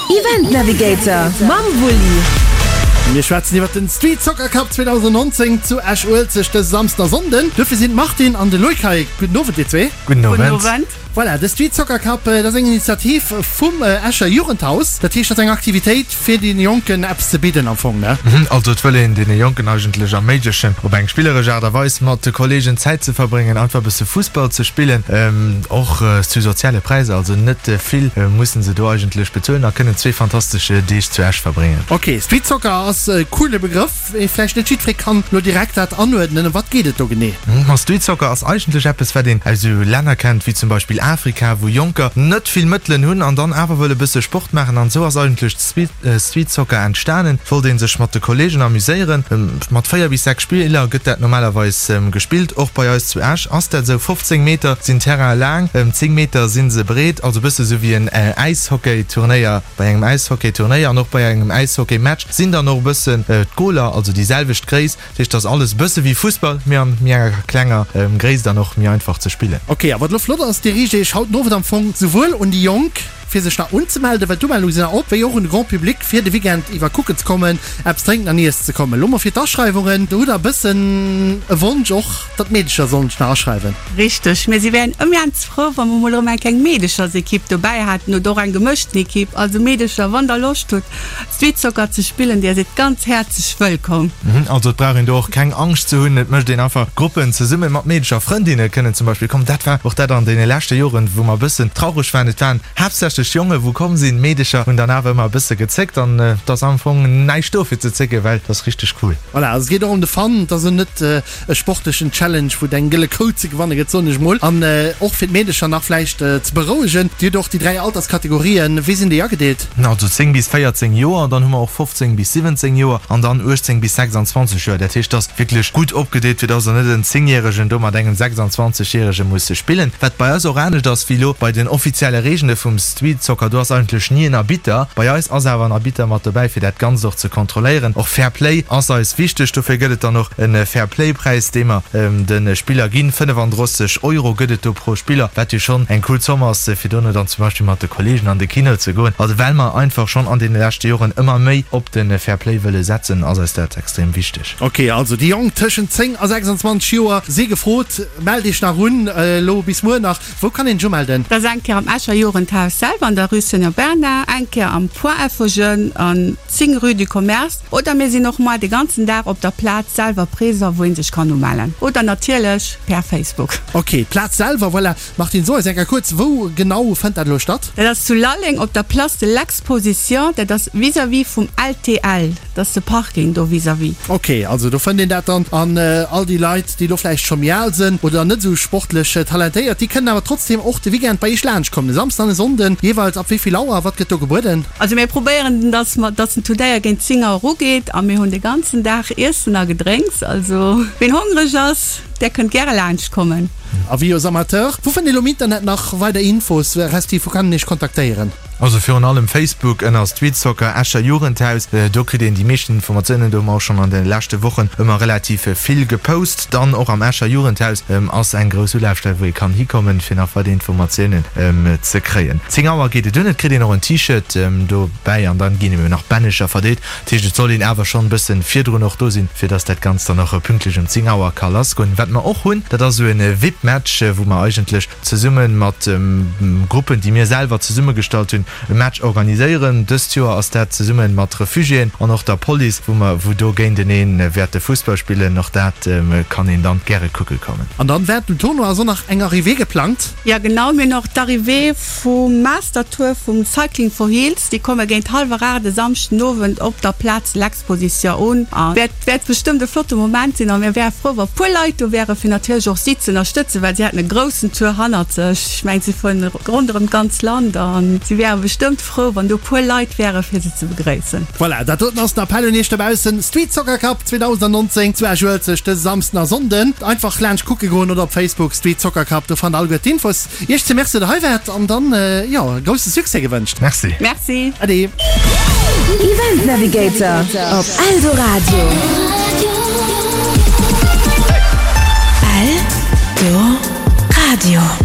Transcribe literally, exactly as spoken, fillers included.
Event Navigator mam Wulli. Mir schwätzen iwwer den Street Soccer Cup zweedausenddnonzéng zu Esch-Uelzecht dëse Samsden a Sonnden. Duerfir sinn d'Martine an de Loïc hei. Gudden Owend, dir zwee. Gudden Owend. Voilà, de Street Soccer Cup, dat ass eng Initiativ vum Escher Jugendhaus. Dat heescht, dat ass eng Aktivitéit, fir deene Jonken eppes ze bidden am Fong, ne? Also et wëll een deene Jonken eigentlech erméiglechen, op eng spilleresch Aart a Weis mat de Kolleegen Zäit ze verbréngen, einfach e bësse Fussball ze spillen, och zu soziale Präisser, also net vill mussen se do eigentlech bezuelen a kënnen zwee fantastesch Deeg zu Esch verbréngen. Ok, Street Soccer ass e coole Begrëff, mee vläicht net jiddweree kann lo direkt dat anuerdnen. Ëm wat geet et do genee? Ma Street Soccer ass eigentlech eppes, wat een aus esou Länner kennt wéi zum Beispill Afrika, wou Jonker net vill Mëttelen hunn an dann awer wëlle bësse Sport maachen. An esou ass eigentlech Street Soccer entstanen. Et wollt ee sech mat de Kolleegen amuséieren. Mat véier bis sechs Spiller gëtt dat normalerweis gespillt. Och bei eis zu Esch ass dat esou. fofzéng Meter sinn d'Terraine laang, zéng Meter si se breet, also e bësse sou wéi en Äishockey-Turnéier. Bei engem Äishockey-Turnéier an och bei engem Äishockey-Match sinn dann och e bëssen d'Goler, also déi selwecht Gréisst. Dat heescht, et ass alles e bësse wéi Fussball, mee an méi enger klenger Gréisst an och méi einfach ze spillen. Ok, a wat elo flott ass, Dir riicht Iech haut den Owend am Fong souwuel un déi Jonk, fir sech nach unzemelden, well d'Umeldunge sinn nach op, wéi och un de Grand Public, fir de Weekend iwwer kucken ze kommen, eppes drénken an iessen ze kommen. Elo mol fir d'Aschreiwungen, do hutt Der e bëssen e Wonsch och, datt d'Meedecher sollen sech nach aschreiwen. Richteg, mir si wären immens frou, wa mer mol erëm eng kleng Meedechersekipp dobäi hätten oder och eng gemëschten Ekipp. Also Meedecher, wann Der Loscht hutt, Street Soccer ze spillen, Dir sidd ganz häerzlech wëllkomm. Also et brauch een do och keng Angscht ze hunn, et mécht een einfach Gruppen zesummen mat Meedecher. Frëndinne kënnen zum Beispill kommen. Dat war och dat an deene leschte Joren, wou mer e bëssen traureg waren, et waren haaptsächlech Jonge wou komm sinn, Meedecher hunn dann awer ëmmer e bësse gezéckt an et ass am Fong näischt do fir ze zécken, well et ass richteg cool. Voilà, also et geet och ëm de Fun, et ass elo net e sportlechen Challenge, wou et eng gëlle Kou ze gewanne gëtt, soen ech mol. An och fir d'Meedecher nach vläicht ze berouegen, Dir hutt och déi dräi Alterskategorien, wéi sinn déi agedeelt? Also zéng bis véierzéng Joer, dann hu mer och fofzéng bis siwwenzéng Joer an dann uechtzéng bis sechsanzwanzeg Joer. Dat heescht, et ass wierklech gutt opgedeelt, fir dass der net en Zéngjäregen do mat engem sechsanzwanzegjärege muss spillen. Wat bei eis och anescht ass wéi elo bei den offizielle Reegele vum Street Soccer, do ass eigentlech ni en Arbitter. Bei eis ass awer en Arbitter mat dobäi, fir dat Ganzt och ze kontrolléieren. Och Fair Play ass eis wichteg, dofir gëtt et dann och e Fair Play Präis, dee mer de Spiller ginn. fënnefandrësseg Euro gëtt et do pro Spiller, wat jo schonn eng cool Zomm ass, fir dono dann zum Beispill mat de Kolleegen an de Kino ze goen. Also well mer einfach schonn an deene leschte Joren ëmmer méi op de Fair Play wëlle setzen, ass eis dat extrem wichteg. Ok, also déi Jonk tëschent zéng a sechsandzwanzeg Joer si gefrot. Mellt iech nach un, elo bis muer nach. Wou kann een sech umelden? Dat ass eng Kéier am Escher Jugendhaus selwer an der Rue Seigneur Bernard, eng Kéier am Point Info Jeunes an zéng Rue du Commerce oder mir sinn och moar de ganzen Dag op der Plaz selwer présent, wou een sech kann umellen oder natierlech per Facebook. Ok, d'Plaz selwer, voilà. Martine, so eis eng Kéier kuerz, wou genau fënnt dat elo statt? Dat ass zu Lalleng op der Place de l'Exposition, dat ass vis-à-vis vum L T L, dat ass de Parking do vis-à-vis. Ok, also do fënnt een dat dann. An all déi Leit, déi elo vläicht scho méi al sënn oder net esou sportlech talentéiert, déi kënnen awer trotzdem och de Weekend bei iech laanscht kommen, e Samsden an e Sonnden, jeeweils ab wéi vill Auer? Wat gëtt do gebueden? Also mir probéieren, dass mer, dass den Turnéier géint zéng Auer ugeet a mir hunn de ganzen Dag Iessen a Gedrénks. Also ween hongreg ass, där kënnt gäre laanscht kommen. Avis aux amateurs, Wou fënnt een elo am Internet nach weider Infos, respektiv wou kann een iech kontaktéieren? Also virun allem Facebook ënner Street Soccer Escher Jugendhaus, do kritt een déi meeschten Informatiounen. Do hu mer och schonn an de leschte Wochen ëmmer relativ vill gepost. Dann och am Escher Jugendhaus ass eng grouss Ulafstell, wou ee kann hikommen, fir nach weider Informatiounen ze kréien. Zéng Auer geet et un, et kritt een och en T-Shirt dobäi an dann ginn eben nach Bännecher verdeelt. Dat heescht, et soll een awer schonn e bëssen virdrun och do sinn, fir dass dat Ganzt dann och pünktlech um zéng Auer ka lassgoen. Wat mer och hunn, dat ass esou e V I P-Match, wou mer eigentlech zesumme mat Gruppen, déi mir selwer zesummegestallt hunn, e Match organiséieren. Dëst Joer ass dat zesumme mat Refugiéen an och der Police, wou mer wou do géintenee wäerte Fussball spillen. Och dat kann een dann gäre kucke kommen. An dann während dem Tournoi ass och nach eng Arrivée geplangt. Jo genau, mir hunn och d'Arrivée vum Master Tour vum Cycling for Heels. Déi komme géint hallwer aacht e Samschden Owend op der Plaz de l'Exposition un a wäert wäert bestëmmt e flotte Moment sinn. A mir wäre frou, wa puer Leit do wäre fir natierlech och si ze ënnerstëtzen, well si hätten e groussen Tour hannert sech. Ech mengen, si fueren ronderëm d'ganz Land a si wäre bestëmmt frou, wann do puer Leit wäre fir se ze begréissen. Voilà, dat doten ass den Appell un iech dobaussen, Street Soccer Cup zweedausenddnonzéng zu Esch-Uelzecht dëse Samsden a Sonnden. Einfach laanscht kucke goen oder op Facebook Street Soccer Cup, do fannt der alleguer d'Infos. Iech ze Merci, datt der hei waart an dann, jo, e grousse Succès gewënscht. Merci. Merci. Ade. Event Navigator op Eldoradio. Eldoradio.